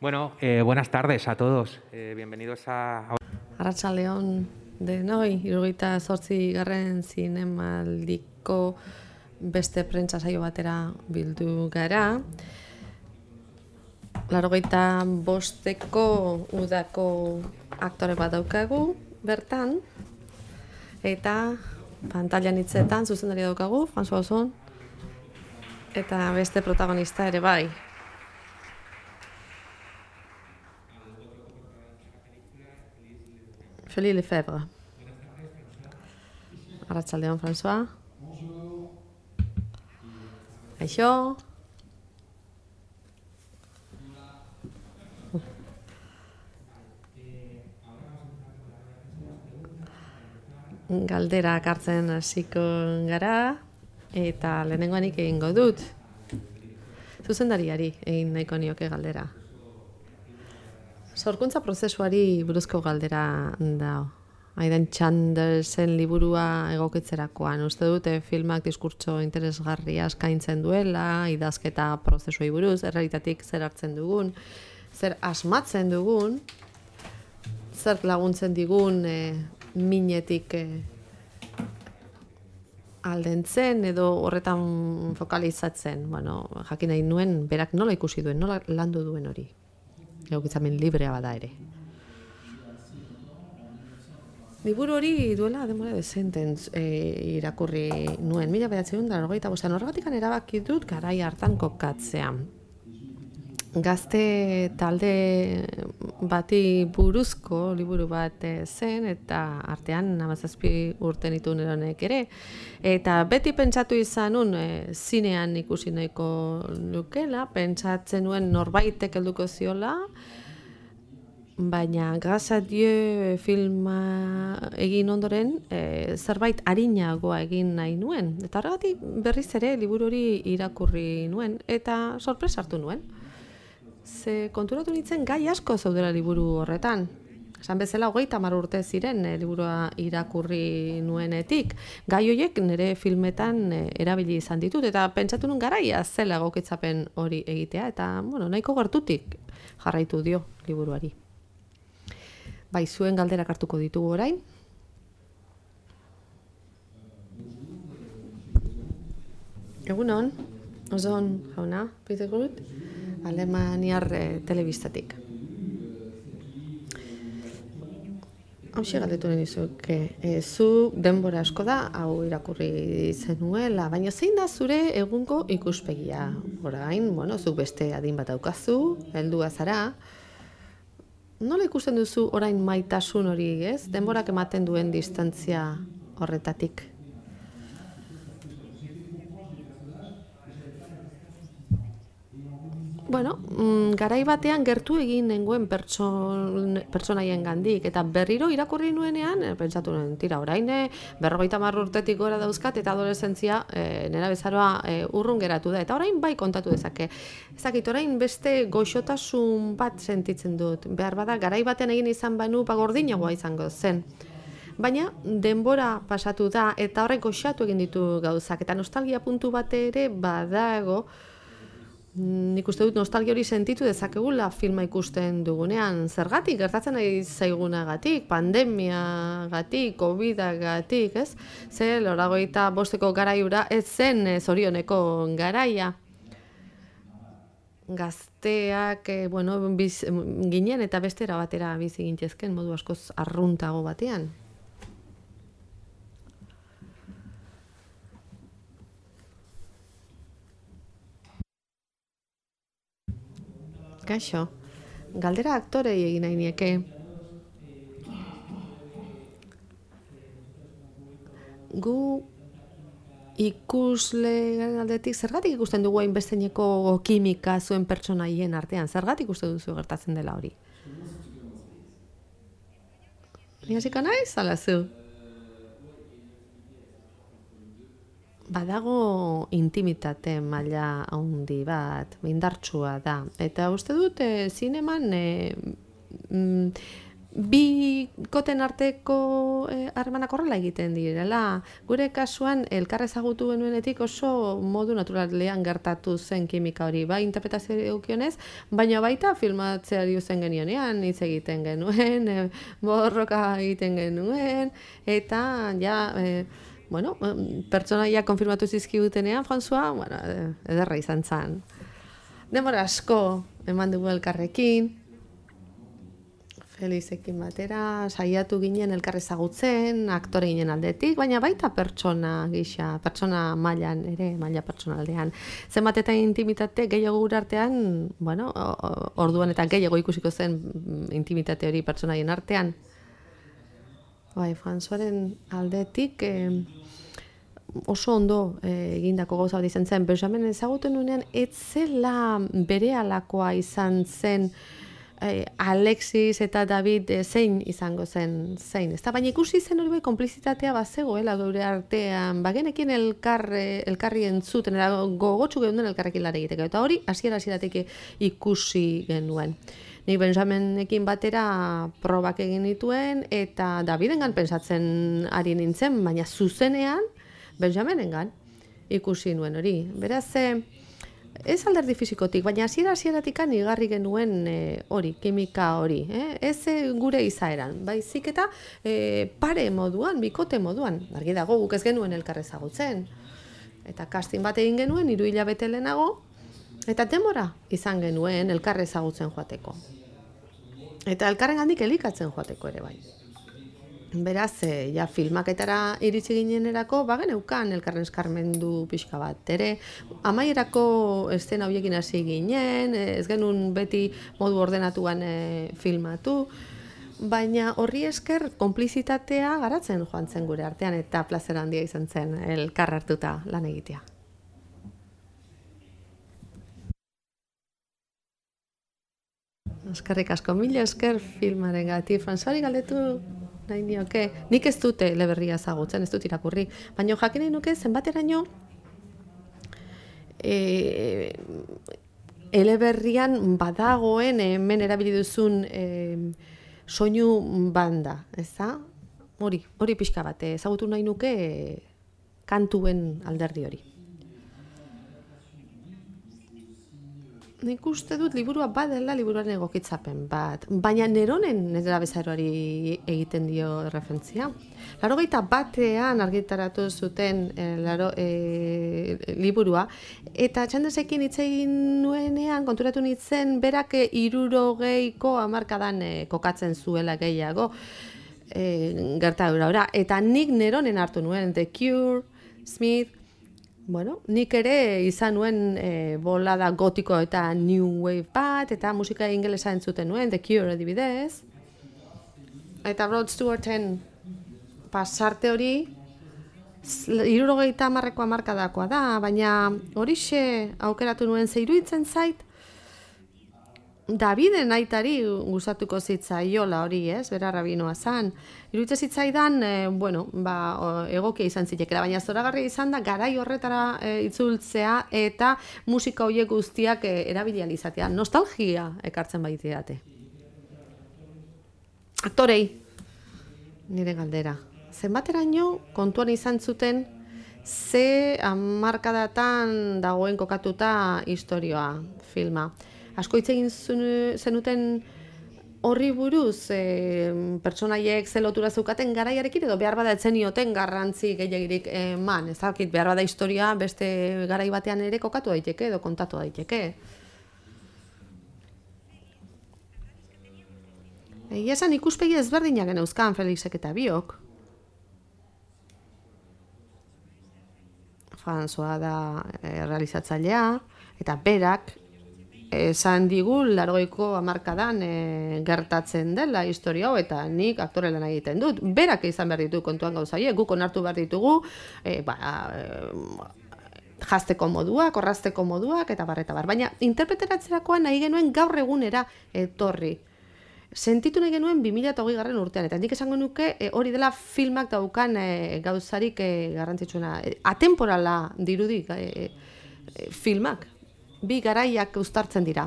Bueno, buenas tardes a todos. Bienvenidos a... Arratsaldeon denoi, 78. zinemaldiko beste prentsa saio batera bildu gara. 85. udako aktore bat daukagu bertan, eta pantailan hitzetan zuzendaria daukagu, François Ozon, eta beste protagonista ere bai. Félix Lefebvre. Arratsaldeon, François. Aixo. Galderak hartzen hasiko gara, eta lehenengoanik egingo dut. Zuzendariari egin nahiko nioke galdera. Sorkuntza prozesuari buruzko galdera da. Aidan Chandersen liburua egokitzerakoan. Uste dute filmak diskurtso interesgarria eskaintzen duela, idazketa prozesuei buruz, errealitatik zer hartzen dugun, zer asmatzen dugun, zer laguntzen digun minetik aldentzen edo horretan fokalizatzen. Bueno, jakin nahi nuen, berak nola ikusi duen, nola landu duen hori. Egokitzamen librea bada ere. Liburu hori duela denbora dezenten irakurri nuen. 1985. Horregatik erabaki dut garai hartan kokatzea. Gazte talde bati buruzko liburu bat zen, eta artean 17 urte nitu neronek ere. Eta beti pentsatu izanun zinean ikusi nahiko nukela, pentsatzen nuen norbaitek helduko ziola, baina Grâce à Dieu filma egin ondoren zerbait arinagoa egin nahi nuen. Eta horregatik berriz ere liburu hori irakurri nuen, eta sorpresa hartu nuen. Ze konturatu nintzen gai asko zaudela liburu horretan. Esan bezala 30 urte ziren liburua irakurri nuenetik. Gai horiek nire filmetan erabili izan ditut, eta pentsatu nuen garaia zela egokitzapen hori egitea, eta nahiko gertutik jarraitu dio liburuari. Bai, zuen galderak hartuko ditugu orain. Egunon, Ozon jauna, Peter Groot, Alemaniar telebistatik. Hauxe galdetu nahi dizuke, zu denbora asko da, hau irakurri zenuela, baina zein da zure egungo ikuspegia? Orain, zuk beste adin bat daukazu, heldua zara. Nola ikusten duzu orain maitasun hori, ez? Denborak ematen duen distantzia horretatik. Garai batean gertu egin nengoen pertsonaien gandik, eta berriro irakurri nuenean, pentsatu nuen, tira, orain 50 urtetik gora dauzkat, eta adoleszentzia nera bezaroa urrun geratu da, eta orain bai kontatu dezake. Ezakit, orain beste goxotasun bat sentitzen dut, behar bada, garai batean egin izan banu gordinagoa izango zen. Baina denbora pasatu da, eta horrek goxatu egin ditu gauzak, eta nostalgia puntu bat ere badago. Nik uste dut nostalgia hori sentitu dezakegula filma ikusten dugunean. Zergatik, gertatzen ari zaigunagatik, pandemiagatik, covidagatik, ez? Ze 85 garaiura ez zen zorioneko garaia. Gazteak, ginen eta bestera batera bizi gintezken modu askoz arruntago batean. Kaixo, galdera aktorei egin nahi nieke. Gu ikusle garen aldetik, zergatik ikusten dugu hainbesteneko kimika zuen pertsonaien artean? Zergatik uste duzu gertatzen dela hori? Ni hasiko naiz, ala zu? Badago intimitate maila handi bat, indartsua da. Eta uste dut zineman bikoten arteko harremanak horrela egiten direla. Gure kasuan elkar ezagutu genuenetik oso modu naturalean gertatu zen kimika hori, bai interpretazio edukionez, baina baita filmatzeari uzen genionean, hitz egiten genuen, borroka egiten genuen, eta ja, bueno, pertsonaia konfirmatu zizkigutenean, François, bueno, ederra izan zen. Denbora asko eman dugu elkarrekin, Felizekin batera, saiatu ginen elkar ezagutzen, aktore ginen aldetik, baina baita pertsona gisa, pertsona mailan ere, maila pertsonaldean. Zenbat eta intimitate gehiago gure artean, bueno, orduan eta gehiago ikusiko zen intimitate hori pertsonaien artean. Bai, Françoisen aldetik oso ondo egindako gauza bat izan zen. Benjamin ezagutu nuenean, ez zela berehalakoa izan zen Alexis eta David zein izango zen zein. Ez da, baina ikusi zen hori bai konplizitatea bazegoela gure artean, bagenekin elkarri entzuten, gogotsu geunduen elkarrekin lan egiteko, eta hori hasieratik ikusi genuen. Nik Benjaminekin batera probak egin dituen, eta Davidengan pentsatzen ari nintzen, baina zuzenean Benjaminengan ikusi nuen hori. Beraz, ez alderdi fisikotik, baina hasieratik igarri genuen hori, kimika hori. Ez gure izaeran, baizik eta pare moduan, bikote moduan. Argi dago, guk ez genuen elkar ezagutzen. Eta casting bat egin genuen, 3 hilabete lehenago, eta denbora izan genuen elkar ezagutzen joateko. Eta elkarrengandik elikatzen joateko ere bai. Beraz, ja filmaketara iritsi ginenerako, bageneukan elkarren eskarmendu pixka bat ere. Amaierako eszena horiekin hasi ginen, ez genuen beti modu ordenatuan filmatu, baina horri esker konplizitatea garatzen joan zen gure artean, eta plazer handia izan zen elkar hartuta lan egitea. Eskerrik asko, mila esker filmarengatik. Françoisari galdetu nahi nioke. Nik ez dute eleberria ezagutzen, ez dut irakurri. Baina jakin nahi nuke zenbateraino eleberrian badagoen hemen erabili duzun soinu banda, ezta? Hori pixka bat, ezagutu nahi nuke kantuen alderdi hori. Nik uste dut liburua badela liburuaren egokitzapen bat, baina Neronen nera bezaroari egiten dio referentzia. 81ean argitaratu zuten liburua, eta txandesekin hitz egin nuenean konturatu nintzen berak 60ko hamarkadan kokatzen zuela gehiago gertadura. Eta nik Neronen hartu nuen, The Cure, Smith. Bueno, nik ere izan nuen bolada gotiko eta new wave bat, eta musika ingelesa entzuten nuen, The Cure adibidez. Eta Rod Stewarten pasarte hori, 70ko hamarkadakoa da, baina horixe aukeratu nuen ze iruditzen zait, Daviden aitari gustatuko zitzaiola hori, ez? Bera rabinoa zan. Iruditzen zitzaidan, egokia izan zitekela, baina zoragarria izan da garai horretara itzultzea eta musika horiek guztiak erabili ahal izatea. Nostalgia ekartzen baitiate. Aktorei, nire galdera. Zenbateraino kontuan izan zuten ze hamarkadatan dagoen kokatuta istorioa, filma. Asko hitz egin zenuten horri buruz, pertsonaiek ze lotura zeukaten garaiarekin edo behar bada etzen ioten garrantzi gehiagirik eman. Ez dakit, behar bada historia beste garai batean ere kokatu daiteke edo kontatu daiteke. Egia esan ikuspegi ezberdinak geneuzkan Felixek eta biok. François da realizatzailea eta berak esan digu 80ko hamarkadan gertatzen dela historia hau, eta nik aktore lan egiten dut. Berak izan behar ditu kontuan gauzaie, guk onartu behar ditugu, jazteko moduak, orrazteko moduak, eta bar. Baina interpreteratzerakoan nahi genuen gaur egunera etorri. Sentitu nahi genuen 2020 urtean, eta nik esango nuke hori dela filmak daukan gauzarik garrantzitsuena. Atemporala dirudik filmak. Bi garaiak uztartzen dira.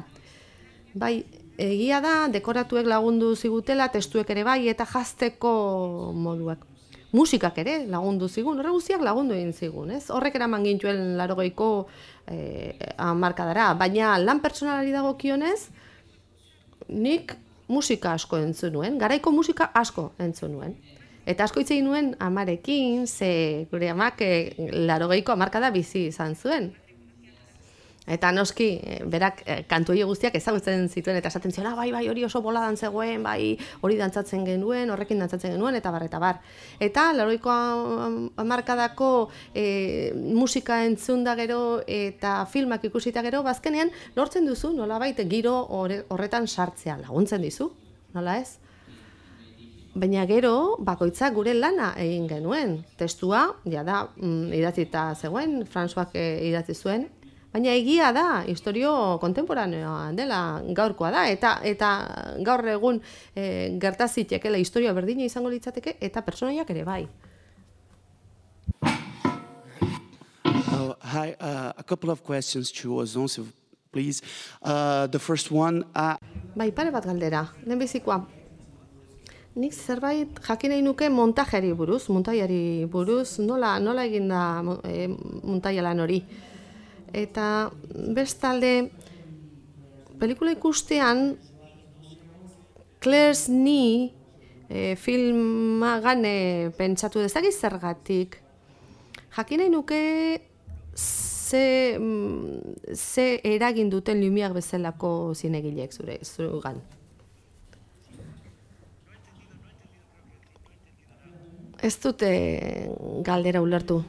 Bai, egia da, dekoratuek lagundu zigutela, testuek ere bai, eta jazteko moduak. Musikak ere lagundu zigun, horre guztiak lagundu egin zigun, ez? Horrek eraman gintuen 80ko hamarkadara, baina lan pertsonalari dagokionez, nik musika asko entzun nuen, garaiko musika asko entzun nuen. Eta asko hitz egin nuen amarekin, ze gure amak 80ko hamarkada bizi izan zuen. Eta noski, berak kantu hori guztiak ezagutzen zituen, eta esaten zion, bai, hori oso boladan zegoen, bai, hori dantzatzen genuen, horrekin dantzatzen genuen, eta bar, eta bar. Eta 80ko hamarkadako musika entzunda gero eta filmak ikusita gero, bazkenean lortzen duzu, nolabait giro horretan sartzea, laguntzen dizu, nola ez? Baina gero, bakoitzak gure lana egin genuen. Testua, jada, idatzita zegoen, Françoak idatzi zuen, baina egia da, historio kontemporaneoa dela, gaurkoa da, eta gaur egun gertazitekeela historia berdina izango litzateke, eta pertsonaiak ere bai. Hi, a couple of questions to Ozon, please. The first one... Bai, pare bat galdera, lehenbizikoa. Nik zerbait jakin nahi nuke montajari buruz, nola egin da montaia lan hori. Eta bestalde, pelikula ikustean, Claire's Knee filma gane pentsatu dezagiz zergatik. Jakin nahi nuke ze eragin duten Lumière bezalako zinegileek zuregan. Ez dute galdera ulertu.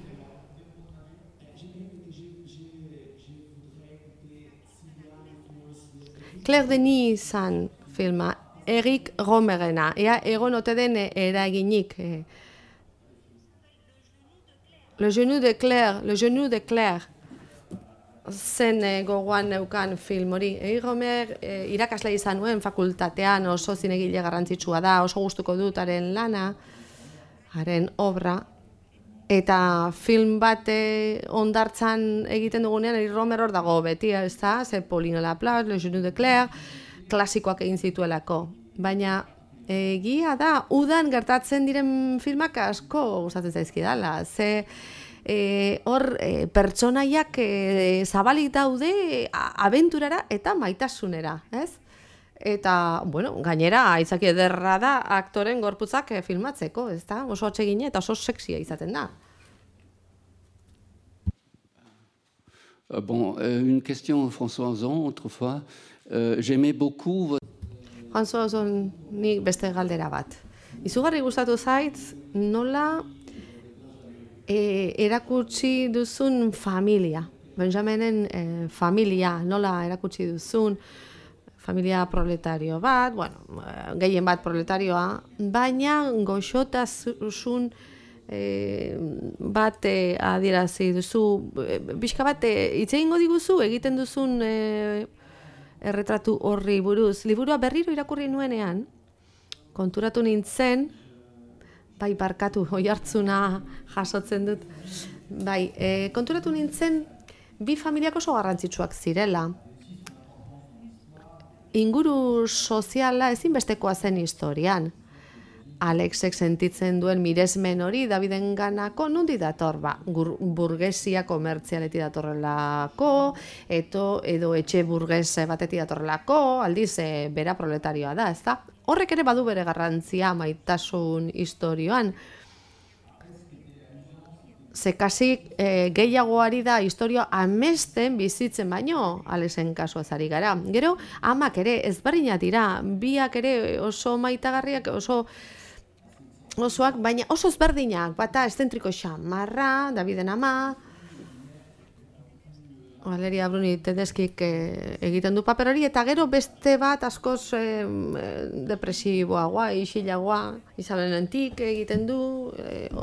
Claire Denis zan filma, Eric Romerena, ea egon ote den eraginik. Le genou de Claire, zen gogoan neukan film hori. Eric Romer irakasle izan nuen fakultatean, oso zinegile garrantzitsua da, oso gustuko dut haren lana, haren obra, eta film bat ondartzan egiten dugunean, Eric Romer hor dago beti, ez da, ze Pauline Laplace, Le Genou de Claire, klasikoak egin zituelako. Baina egia da, udan gertatzen diren filmak asko gustatzen zaizkidala, ze hor pertsonaiak zabalik daude abenturara eta maitasunera, ez? Eta, bueno, gainera, aitzaki ederra da aktoren gorputzak filmatzeko, ez da? Oso atsegina eta oso sexia izaten da. Bon, une question François Ozon, autrefois. J'aimais beaucoup... François Ozon, nik beste galdera bat. Izugarri gustatu zait, nola erakutsi duzun familia. Benjaminen familia, nola erakutsi duzun familia proletario bat, bueno, gehien bat proletarioa, baina goxotasun bat adierazi duzu, pixka bat hitz egingo diguzu egiten duzun erretratu horri buruz. Liburua berriro irakurri nuenean, konturatu nintzen, bai barkatu, oihartzuna jasotzen dut, bai, konturatu nintzen bi familiak oso garrantzitsuak zirela. Inguru soziala ezinbestekoa zen historian. Alexek sentitzen duen miresmen hori Davidenganako nundi dator, burgesia komertzialeti datorrelako, edo etxe burges bateti datorrelako, aldiz bera proletarioa da, ezta? Horrek ere badu bere garrantzia maitasun historioan. Ze kasik gehiagoari da historia amesten bizitzen baino, Alexen kasuaz ari gara. Gero, amak ere ezberdinak dira, biak ere oso maitagarriak, osoak, baina oso ezberdinak, bata eszentriko xamarra, Daviden ama, Valeria Bruni Tedeskik egiten du paper hori, eta gero beste bat askoz depresiboagoa, isilagoa, Isabel Lentik egiten du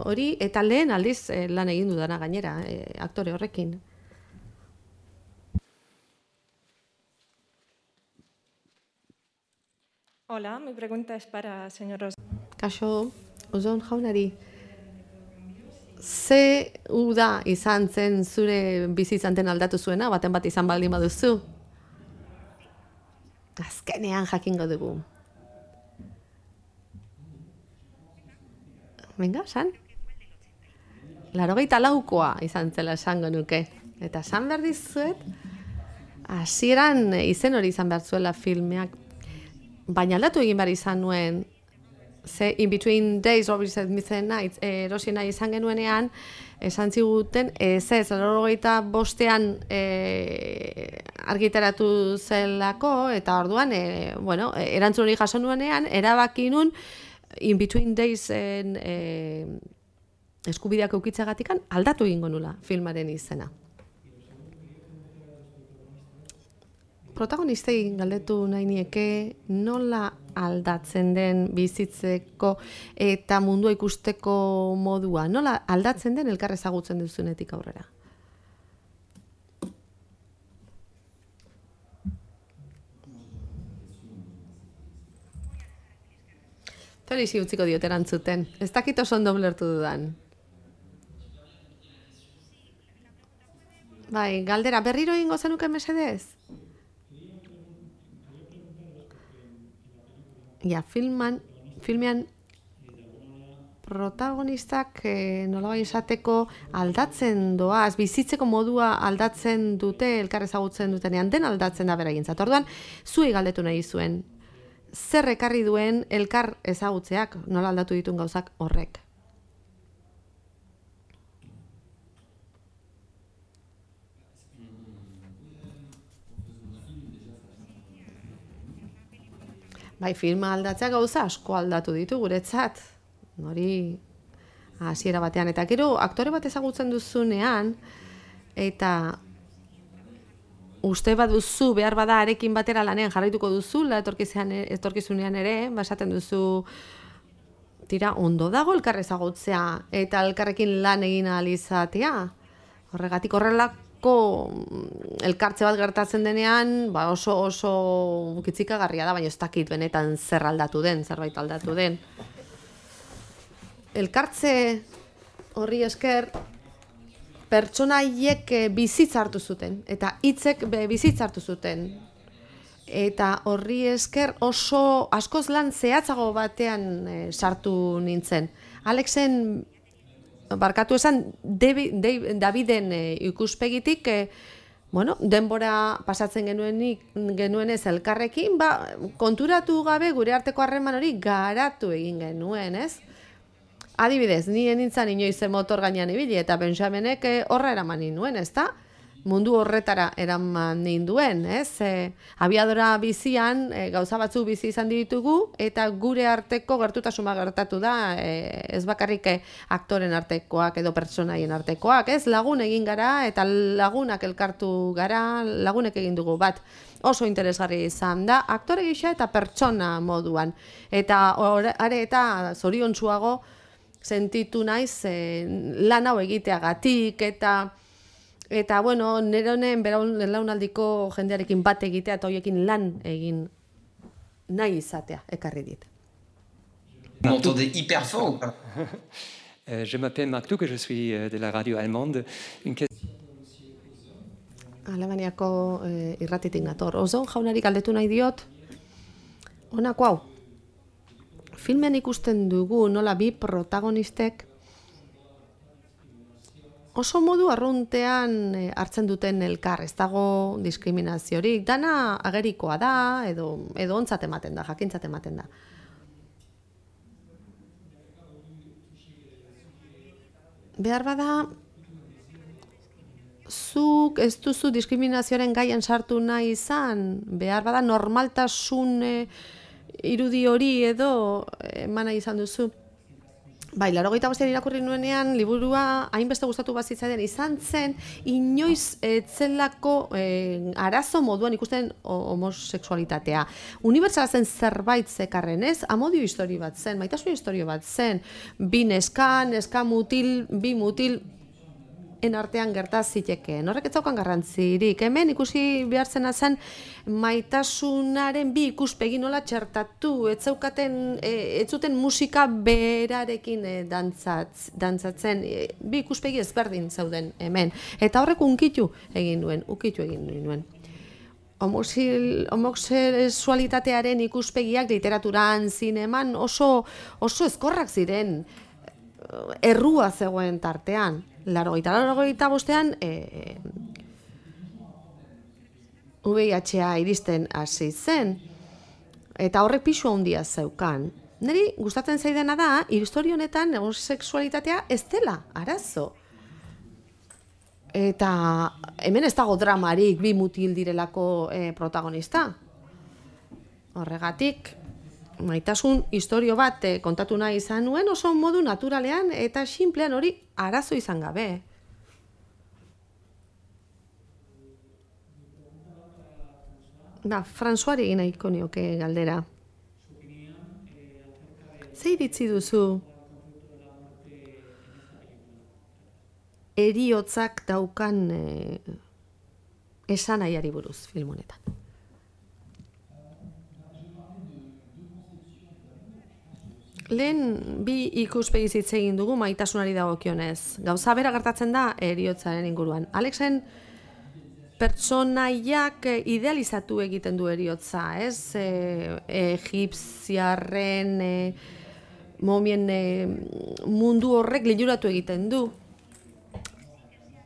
hori, eta lehen aldiz lan egin dudana gainera, aktore horrekin. Hola, mi pregunta es para señor Ozon. Kaixo, Ozon jaunari. Ze uda izan zen zure bizitzanten aldatu zuena, baten bat izan baldin baduzu? azkenean jakingo dugu. Venga, san? 84koa izan zela esango nuke. Eta esan behar dizuet, hasieran izen hori izan behar zuela filmeak. Baina aldatu egin behar izan nuen, ze In Between Days, Robbie Said Midnight Nights, erosi nahi izan genuenean, esan ziguten, ez, 85ean argitaratu zelako, eta orduan, erantzun hori jaso nuenean, erabaki nun In Between Days eskubideak eukitzagatikan aldatu egingo nula filmaren izena. Protagonistei galdetu nahi nieke nola aldatzen den bizitzeko eta mundua ikusteko modua, nola aldatzen den elkar ezagutzen duzunetik aurrera. Felixi utziko diot erantzuten. Ez dakit oso ondo ulertu dudan. Bai, galdera, berriro egingo zenuke mesedez? Ja, filmean protagonistak nolabait esateko aldatzen doaz, bizitzeko modua aldatzen dute, elkar ezagutzen dutenean, den aldatzen da beraientzat. Orduan, zuei galdetu nahi zuen, zer ekarri duen elkar ezagutzeak, nola aldatu dituen gauzak horrek? Bai, filma aldatzea gauza asko aldatu ditu guretzat. Hori hasiera batean. Eta gero aktore bat ezagutzen duzunean, eta uste baduzu behar bada arekin batera lanean jarraituko duzula etorkizunean ere, esaten duzu tira ondo dago elkar ezagutzea eta elkarrekin lan egin ahal izatea. Horregatik horrelako elkartze bat gertatzen denean, oso kitzikagarria da, baina ez dakit benetan zer aldatu den, zerbait aldatu den. Elkartze horri esker pertsonaiek bizitza hartu zuten, eta hitzek bizitza hartu zuten. Eta horri esker oso askoz lan zehatzago batean sartu nintzen. Alexen, barkatu esan, Daviden ikuspegitik, denbora pasatzen genuenez elkarrekin, konturatu gabe gure arteko harreman hori garatu egin genuen, ez? Adibidez, nien nintzen inoiz motor gainean ibili, eta Benjamenek horra eraman ninduen, ez da? Mundu horretara eraman ninduen, ez? Abiadora bizian, gauza batzu bizi izan ditugu, eta gure arteko gertutasuna gertatu da, ez bakarrik aktoren artekoak edo pertsonaien artekoak, ez? Lagun egin gara, eta lagunak elkartu gara, lagunek egin dugu bat. Oso interesgarri izan da, aktore gisa eta pertsona moduan. Eta are eta zoriontsuago sentitu naiz lan hau egiteagatik, eta nire honen belaunaldiko jendearekin bat egitea eta horiekin lan egin nahi izatea ekarri dit. M'entendez hyper fort ou pas? Je m'appelle Marc Duc, je suis de la radio allemande. Alemaniako irratitik nator. Ozon jaunari galdetu nahi diot, honako hau. Filmen ikusten dugu nola bi protagonistek oso modu arruntean hartzen duten elkar, ez dago diskriminaziorik, dana agerikoa da, edo ontzat ematen da, jakintzat ematen da. Behar bada, zuk ez duzu diskriminazioaren gaian sartu nahi izan, behar bada normaltasun irudi hori edo eman nahi izan duzu. Bai, 85ean irakurri nuenean, liburua hainbeste gustatu bazitzaidan izan zen, inoiz etzelako arazo moduan ikusten homosexualitatea. Unibertsala zen zerbait zekarren, ez? Amodio histori bat zen, maitasun historio bat zen, bi neska mutil, bi mutil, artean gerta zitekeen. Horrek ez zaukan garrantzirik. Hemen ikusi behar zena zen maitasunaren bi ikuspegi nola txertatu, ez zuten musika berarekin dantzatzen, bi ikuspegi ezberdin zauden hemen. Eta horrek ukitu egin nuen. homosexualitatearen ikuspegiak literaturan, zineman oso ezkorrak ziren, errua zegoen tartean. 85ean VIH-a iristen hasi zen, eta horrek pisu handia zeukan. Niri gustatzen zaidana da, historia honetan homosexualitatea ez dela arazo. Eta hemen ez dago dramarik bi mutil direlako protagonista. Horregatik, maitasun historio bat kontatu nahi izan nuen oso modu naturalean eta sinplean hori arazo izan gabe. Françoisri egin nahiko nioke galdera. Ze iritzi duzu heriotzak daukan esanahiari buruz film honetan? Lehen bi ikuspegi hitz egin dugu maitasunari dagokionez. Gauza bera gertatzen da heriotzaren inguruan. Alexen pertsonaiak idealizatu egiten du heriotza, ez? Egipziarren momien mundu horrek liluratu egiten du.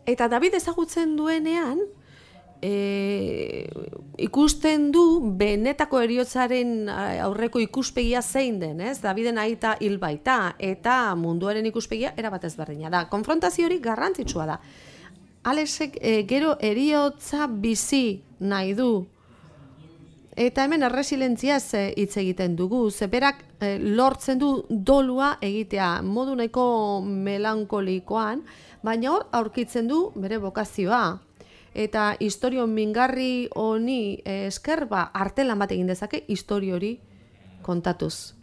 Eta David ezagutzen duenean, ikusten du benetako heriotzaren aurreko ikuspegia zein den, ez? Daviden aita hil baita, eta munduaren ikuspegia erabat ezberdina da. Konfrontazio hori garrantzitsua da. Alexek gero heriotza bizi nahi du. Eta hemen erresilentziaz hitz egiten dugu, zeberak lortzen du dolua egitea, modu nahiko melankolikoan, baina hor aurkitzen du bere bokazioa. Eta istorio mingarri honi esker artelan bat egin dezake istorio hori kontatuz.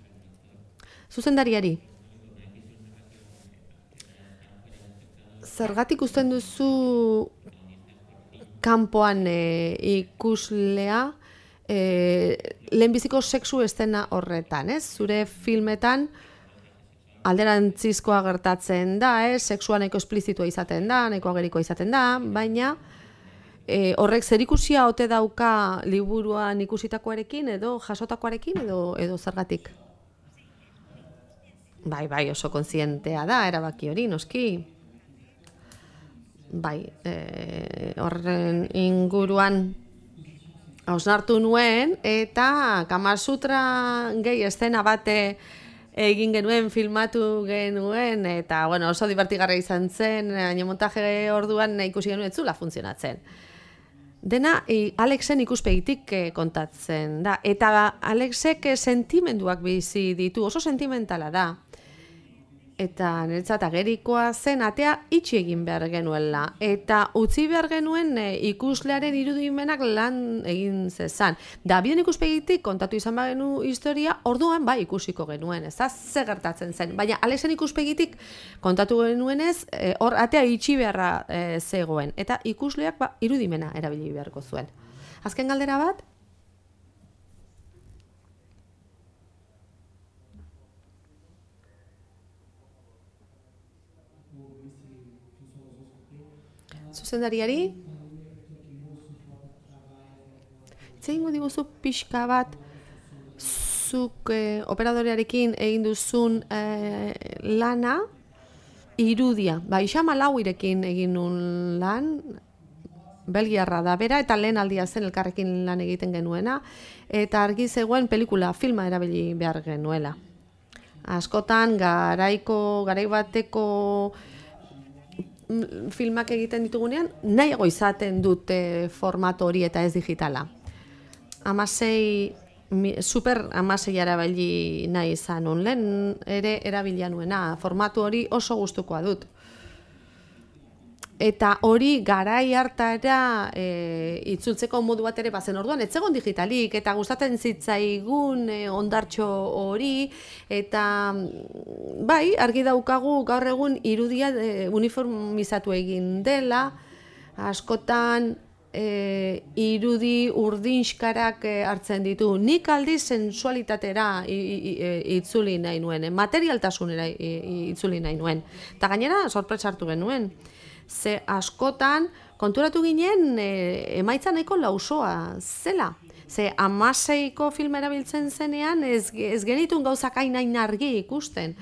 Zuzendariari. Zergatik usten duzu kanpoan ikuslea lehenbiziko sexu estena horretan, ez? Zure filmetan alderantzizkoa gertatzen da, ez? Sexua nahiko esplizitua izaten da, nahiko agerikoa izaten da, baina horrek zerikusia ote dauka liburuan ikusitakoarekin edo jasotakoarekin edo zergatik? Bai, oso kontzientea da, erabaki hori, noski. Bai, horren inguruan hausnartu nuen, eta Kamasutra gehi estena bate egin genuen, filmatu genuen, eta oso divertigarria izan zen, montaje orduan ikusi genuen ez zula funtzionatzen. Dena Alexen ikuspegitik kontatzen da, eta Alexek sentimenduak bizi ditu, oso sentimentala da. Eta niretzat agerikoa zen atea itxi egin behar genuela. Eta utzi behar genuen ikuslearen irudimenak lan egin zezan. Daviden ikuspegitik kontatu izan bagenu historia, orduan ikusiko genuen, ez da, ze gertatzen zen. Baina Alexen ikuspegitik kontatu genuenez, hor atea itxi beharra zegoen. Eta ikusleak irudimena erabili beharko zuen. Azken galdera bat? Zuzendariari? Zeingo diguzu pixka bat zuk operadorearekin egin duzun lana irudia. Xama Lauirekin egin nun lan, belgiarra da bera, eta lehen aldia zen elkarrekin lan egiten genuena, eta argi zegoen pelikula, filma erabili behar genuela. Askotan garai bateko filmak egiten ditugunean, nahiago izaten dute formato hori eta ez digitala. Super 16 erabili nahi izan nun, lehen ere erabilia nuena, formatu hori oso gustukoa dut. Eta hori garai hartara itzultzeko modu bat ere bazen orduan, ez zegoen digitalik, eta gustatzen zitzaigun ondartxo hori, eta bai, argi daukagu gaur egun irudia uniformizatu egin dela, askotan irudi urdinskarak hartzen ditu. Nik aldiz sensualitatera itzuli nahi nuen, materialtasunera itzuli nahi nuen. Eta gainera, sorpresa hartu genuen. Ze askotan, konturatu ginen, emaitza nahiko lausoa zela. Ze 16ko film erabiltzen zenean, ez genitun gauzak hain argi ikusten.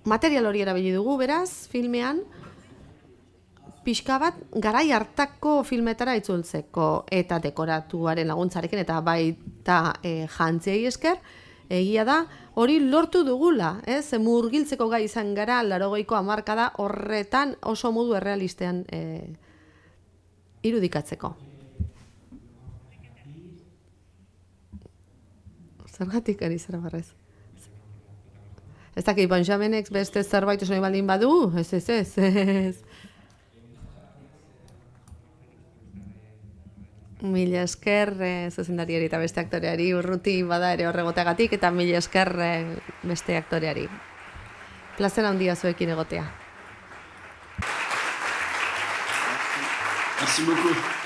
Material hori erabili dugu, beraz, filmean, pixka bat garai hartako filmetara itzultzeko eta dekoratuaren laguntzarekin eta baita jantziei esker, egia da, hori lortu dugula, murgiltzeko gai izan gara 80ko hamarkada horretan oso modu errealistean irudikatzeko. Zergatik ari zara barrez? Ez dakit, Benjamenek beste zerbait oso baldin badu? Ez. Mila esker zuzendariari eta beste aktoreari, Urruti bada ere horregoteagatik, eta mila esker beste aktoreari. Plazera handia zuekin egotea. Merci beaucoup.